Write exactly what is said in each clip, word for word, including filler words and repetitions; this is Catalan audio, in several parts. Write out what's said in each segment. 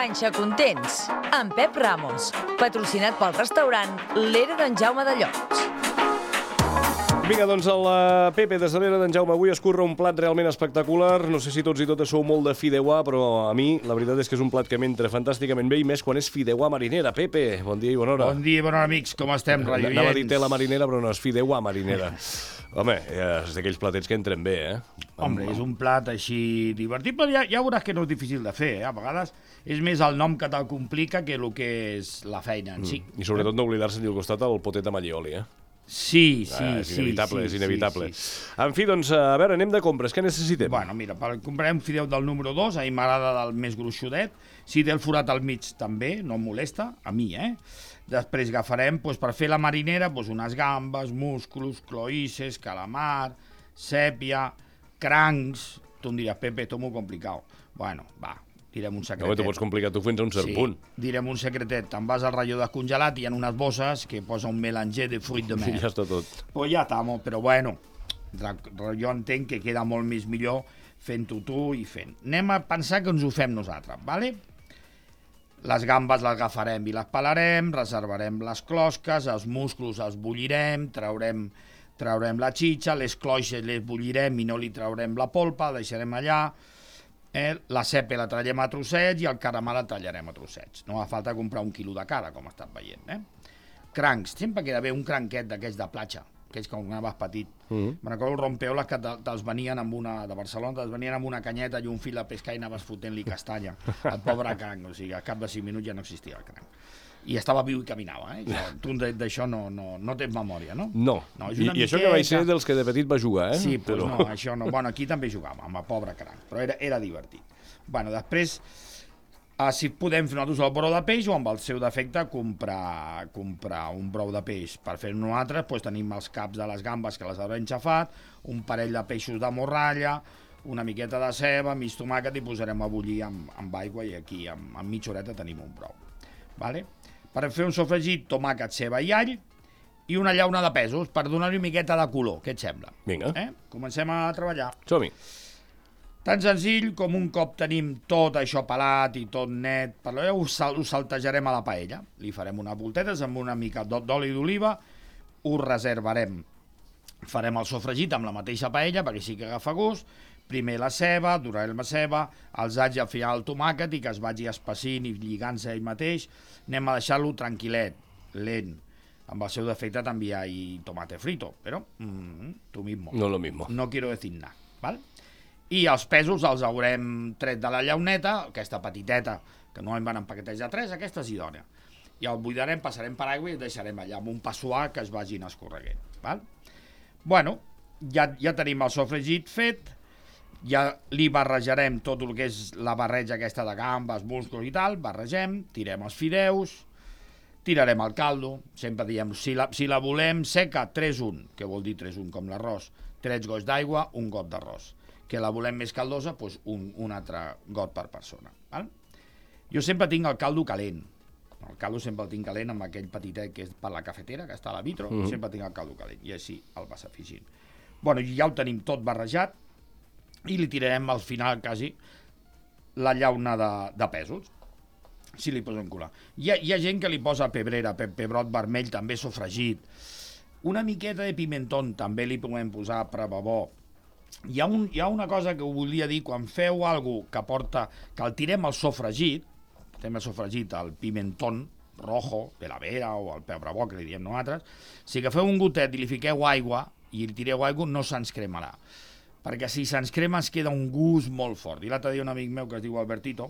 Panxa Contents, amb Pep Ramos, patrocinat pel restaurant L'Era d'en Jaume de Llots. Vinga, doncs el Pepe des de l'Era d'en Jaume avui escurra un plat realment espectacular. No sé si tots i totes sou molt de fideuà, però a mi la veritat és que és un plat que m'entra fantàsticament bé, i més quan és fideuà marinera. Pepe, bon dia i bona hora. Bon dia i bona hora, amics. Com estem, radioients? Anava a dir tela marinera, però no, és fideuà marinera. Home, és d'aquells platets que entren bé, eh? Home, és un plat així divertit, però ja, ja veuràs que no és difícil de fer, eh? A vegades és més el nom que te'l complica que el que és la feina en si. I sobretot no oblidar-se al costat el potet amb allioli, eh? Sí, sí, ah, és sí. inevitable, sí, és inevitable. Sí, sí. En fi, doncs, a veure, anem de compres. Què necessitem? Bueno, mira, per comprar un fideu del número dos, a mi m'agrada del més gruixudet. Si té el forat al mig també, no em molesta, a mi, eh? Després agafarem, doncs, per fer la marinera, doncs, unes gambes, musclos, cloïsses, calamar, sèpia, crancs. Tu em diràs, Pepe, esto es muy complicado. Bueno, va, direm un secretet. No, t'ho pots complicar tu fins a un cert sí, punt. Direm un secretet. Te'n vas al ratllo descongelat i hi ha unes bosses que posa un melanger de fruit de mer. I ja està tot. Pues ja està, però bueno, jo entenc que queda molt més millor fent-ho tu i fent. Anem a pensar que ens ho fem nosaltres, ¿vale? Les gambes les agafarem i les pelarem, reservarem les closques, els musclos els bullirem, traurem, traurem la xitxa, les cloixes les bullirem i no li traurem la polpa, deixarem allà. Eh, la sèpia la tallem a trossets i el caramel la tallarem a trossets. No fa falta comprar un quilo de cada, com estàs veient. Eh? Crancs, sempre queda bé un cranquet d'aquests de platja, aquells que anaves petit. Mm-hmm. Me recordo el rompeoles que te'ls venien amb una, de Barcelona, te'ls venien amb una canyeta i un fil de pescar i anaves fotent-li castanya. El pobre cranc, o sigui, a cap de cinc minuts ja no existia el cranc. I estava viu i caminava, eh? Tu d'això no, no, no tens memòria, no? No, no I, i això que vaig ser dels que de petit va jugar, eh? Sí, però però... no, això no. Bueno, aquí també jugàvem, amb el pobre cranc, però era, era divertit. Bueno, després, eh, si podem fer nosaltres el brou de peix o amb el seu defecte comprar, comprar un brou de peix. Per fer-ho nosaltres, doncs, tenim els caps de les gambes que les haurem xafat, un parell de peixos de morralla, una miqueta de ceba, mig tomàquet i posarem a bullir amb, amb aigua i aquí amb, amb mitja horeta tenim un brou. Vale? Per fer un sofregit, tomàquet, ceba i all i una llauna de pèsols per donar-li una miqueta de color. Què et sembla? Vinga. Eh? Comencem a treballar. Som-hi. Tan senzill com un cop tenim tot això pelat i tot net, per la ho, sal ho saltejarem a la paella. Li farem unes voltetes amb una mica d'oli d'oliva, ho reservarem. Farem el sofregit amb la mateixa paella perquè sí que agafa gust. Primer la ceba, durarem la ceba, els alls i al final el tomàquet i que es vagi espessint i lligant-se ell mateix. Anem a deixar-lo tranquil·let, lent. Amb el seu defecte també hi ha tomate frito, però mm, tu mismo. No lo mismo. No quiero decir nada, ¿vale? I els pèsols els haurem tret de la llauneta, aquesta petiteta, que no en van en paquetets de tres, aquesta és idònia. I el buidarem, passarem per aigua i el deixarem allà amb un pa suar que es vagin escorreguent, val? Bueno, ja, ja tenim el sofregit fet, ja li barrejarem tot el que és la barreja aquesta de gambes, musclos i tal, barregem, tirem els fideus, tirarem el caldo, sempre diem, si la, si la volem seca, tres un, que vol dir tres un com l'arròs, tres gots d'aigua, un got d'arròs. Que la volem més caldosa, doncs un, un altre got per persona. Val? Jo sempre tinc el caldo calent, el caldo sempre el tinc calent amb aquell petitet que és per la cafetera, que està a la vitro, mm-hmm. sempre tinc el caldo calent, i així el vas afegint. Bueno, ja ho tenim tot barrejat, i li tirarem al final quasi la llauna de, de pèsols, si li posem colar. Hi ha, hi ha gent que li posa pebrera, pe, pebrot vermell, també sofregit, una miqueta de pimentón també li podem posar per bo. Hi ha, un, hi ha una cosa que ho volia dir, quan feu alguna que porta, que el tirem al sofregit, tirem al sofregit, el pimentón rojo, de la vera o el pebre bo, que li diem nosaltres, si agafeu un gotet i li fiqueu aigua i li tireu aigua, no se'ns cremarà. Perquè si se'ns crema es queda un gust molt fort. I l'altre dia un amic meu que es diu Albertito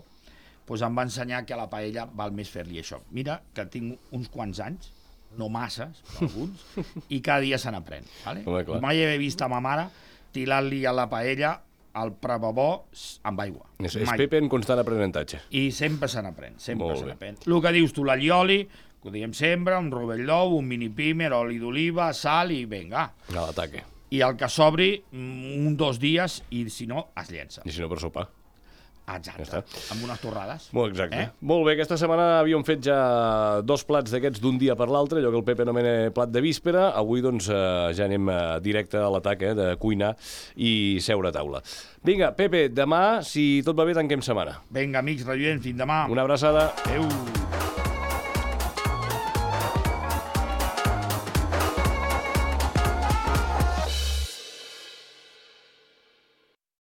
doncs em va ensenyar que a la paella val més fer-li això. Mira que tinc uns quants anys, no masses, però alguns, i cada dia se n'aprèn. Vale? Mai he vist a ma mare tirar-li a la paella el prebabó amb aigua. És, és Pepe en constant aprenentatge. I sempre se n'aprèn, sempre se n'aprèn. El que dius tu, l'allioli, que ho diem sempre, un rovell d'ou, un mini pimer, oli d'oliva, sal i vinga. A l'ataque. I el que s'obri un dos dies i si no es llença. I si no per sopar. Exacte, Ja està. amb unes torrades. Molt exacte. Eh? Molt bé, aquesta setmana havíem fet ja dos plats d'aquests d'un dia per l'altre, allò que el Pepe anomena plat de víspera. Avui, doncs, eh, ja anem eh, directe a l'atac, eh, de cuinar i seure a taula. Vinga, Pepe, demà, si tot va bé, tanquem setmana. Vinga, amics, rellevents, fins demà. Una abraçada. Adéu.